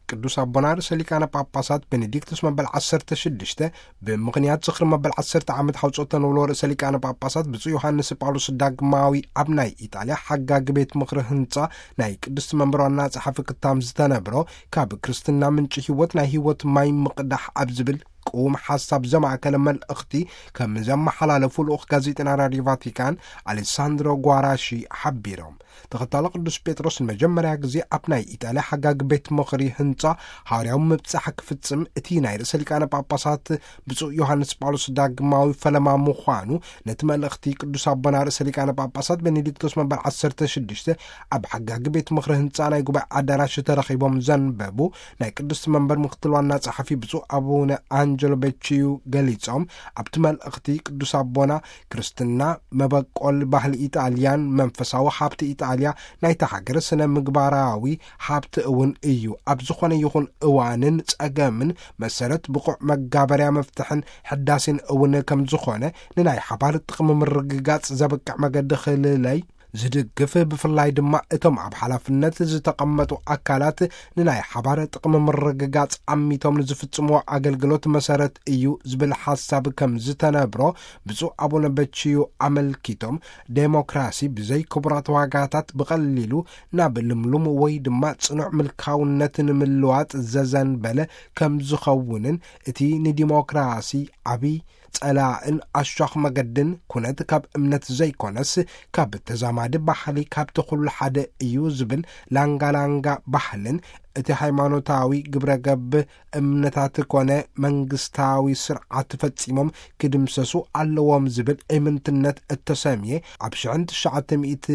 ቅዱስ ኣቦና ርእሰ ሊቃነ ጳጳሳት ቤኔዲክቱስ መበል ዓሰርተ ሽዱሽተ፣ ብምኽንያት ዝኽሪ መበል ዓሰርተ ዓመት ሓውጾት ተነውሎ ርእሰ ሊቃነ ጳጳሳት ብፁዕ ዮሃንስ ጳውሎስ ዳግማዊ ኣብ ናይ ኢጣልያ ሓጋጊ ቤት ምኽሪ ህንጻ ናይ ቅድስቲ መንበር ዋና ጸሓፊ ክታም ዝተነብሮ፣ ካብ ክርስትና ምንጪ ህይወት ናይ ህይወት ማይ ምቕዳሕ ኣብ ዝብል ቅዉም ሓሳብ ዘማእከለ መልእኽቲ ከም ዘመሓላለፉ ልኡኽ ጋዜጠና ራድዮ ቫቲካን ኣሌሳንድሮ ጓራሺ ሓቢሮም። ተኸታሎ ቅዱስ ጴጥሮስ ንመጀመርያ ግዜ ኣብ ናይ ኢጣልያ ሓጋጊ ቤት ምኽሪ ህንጻ ሃዋርያዊ ምብጻሕ ክፍጽም፣ እቲ ናይ ርእሰ ሊቃነ ጳጳሳት ብፁዕ ዮሃንስ ጳውሎስ ዳግማዊ ፈለማ ምዃኑ፣ ነቲ መልእኽቲ ቅዱስ ኣቦና ርእሰ ሊቃነ ጳጳሳት ቤኔዲክቶስ መበል ዓሰርተ ሽዱሽተ ኣብ ሓጋጊ ቤት ምኽሪ ህንጻ ናይ ጉባኤ ኣዳራሽ ተረኺቦም ዘንበቡ ናይ ቅድስቲ መንበር ምክትል ዋና ጸሓፊ ብፁዕ ኣቡነ ኣንጀሎ በቺዩ ገሊጾም፣ ኣብቲ መልእኽቲ ቅዱስ ኣቦና፣ ክርስትና መበቆል ባህሊ ኢጣልያን መንፈሳዊ ሃብቲ ኢጣልያ፣ ናይታ ሃገር ስነ ምግባራዊ ሃብቲ እውን እዩ። ኣብ ዝኾነ ይኹን እዋንን ጸገምን መሰረት ብቑዕ መጋበርያ መፍትሕን ሕዳሴን እውን ከም ዝኾነ፣ ንናይ ሓባር ጥቕሚ ምርግጋጽ ዘብቅዕ መገዲ ክልለይ ዝድግፍ፣ ብፍላይ ድማ እቶም ኣብ ሓላፍነት ዝተቐመጡ ኣካላት ንናይ ሓባር ጥቕሚ ምርግጋጽ ኣሚቶም ንዝፍጽምዎ ኣገልግሎት መሰረት እዩ ዝብል ሓሳብ ከም ዝተነብሮ ብፁዕ ኣቡነ በቺዩ ኣመልኪቶም፣ ዴሞክራሲ ብዘይ ክቡራት ዋጋታት ብቐሊሉ ናብ ልምሉም ወይ ድማ ጽኑዕ ምልካውነት ንምልዋጥ ዘዘንበለ ከም ዝኸውንን፣ እቲ ንዲሞክራሲ ዓቢ ጸላእን ኣሻኽ መገድን ኩነት ካብ እምነት ዘይኮነስ ካብ ተዛማዲ ባህሊ ካብቲ ኩሉ ሓደ እዩ ዝብል ላንጋላንጋ ባህልን፣ እቲ ሃይማኖታዊ ግብረ ገብ እምነታት ኮነ መንግስታዊ ስርዓት ፈጺሞም ክድምሰሱ ኣለዎም ዝብል እምንትነት እተሰምየ ኣብ ሽሕን ትሽዓተ ሚእቲ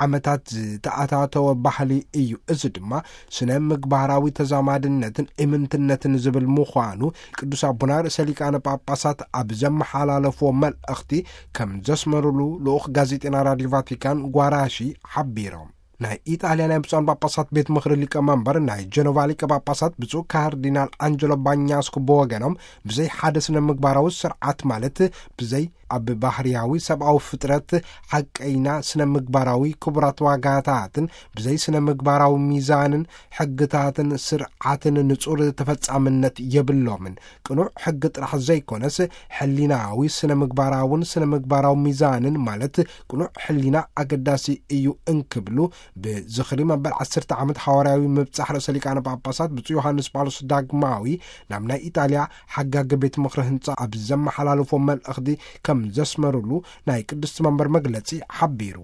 ዓመታት ዝተኣታተወ ባህሊ እዩ። እዚ ድማ ስነ ምግባራዊ ተዛማድነትን እምንትነትን ዝብል ምዃኑ ቅዱስ ኣቦና ርእሰ ሊቃነ ጳጳሳት ኣብ ዘመሓላለፍዎ መልእኽቲ ከም ዘስመሩሉ ልኡኽ ጋዜጠና ራድዮ ቫቲካን ጓራሺ ሓቢሮም። ናይ ኢጣልያ ናይ ብፁዓን ጳጳሳት ቤት ምኽሪ ሊቀ መንበር ናይ ጀኖቫ ሊቀ ጳጳሳት ብፁዕ ካርዲናል ኣንጀሎ ባኛስኮ ብወገኖም፣ ብዘይ ሓደ ስነ ምግባራዊ ስርዓት ማለት ብዘይ ኣብ ባህርያዊ ሰብኣዊ ፍጥረት ሓቀይና ስነ ምግባራዊ ክቡራት ዋጋታትን ብዘይ ስነ ምግባራዊ ሚዛንን ሕግታትን ስርዓትን ንጹር ተፈጻምነት የብሎምን። ቅኑዕ ሕጊ ጥራሕ ዘይኮነስ ሕሊናዊ ስነ ምግባራውን ስነ ምግባራዊ ሚዛንን ማለት ቅኑዕ ሕሊና ኣገዳሲ እዩ እንክብሉ ብዝኽሪ መበል ዓሰርተ ዓመት ሓዋርያዊ ምብጻሕ ርእሰ ሊቃነ ጳጳሳት ብፁዕ ዮሃንስ ጳውሎስ ዳግማዊ ናብ ናይ ኢጣልያ ሓጋጊ ቤት ምኽሪ ህንጻ ኣብ ዘመሓላለፎ መልእኽቲ ከም ዘስመሩሉ ናይ ቅድስቲ መንበር መግለጺ ሓቢሩ።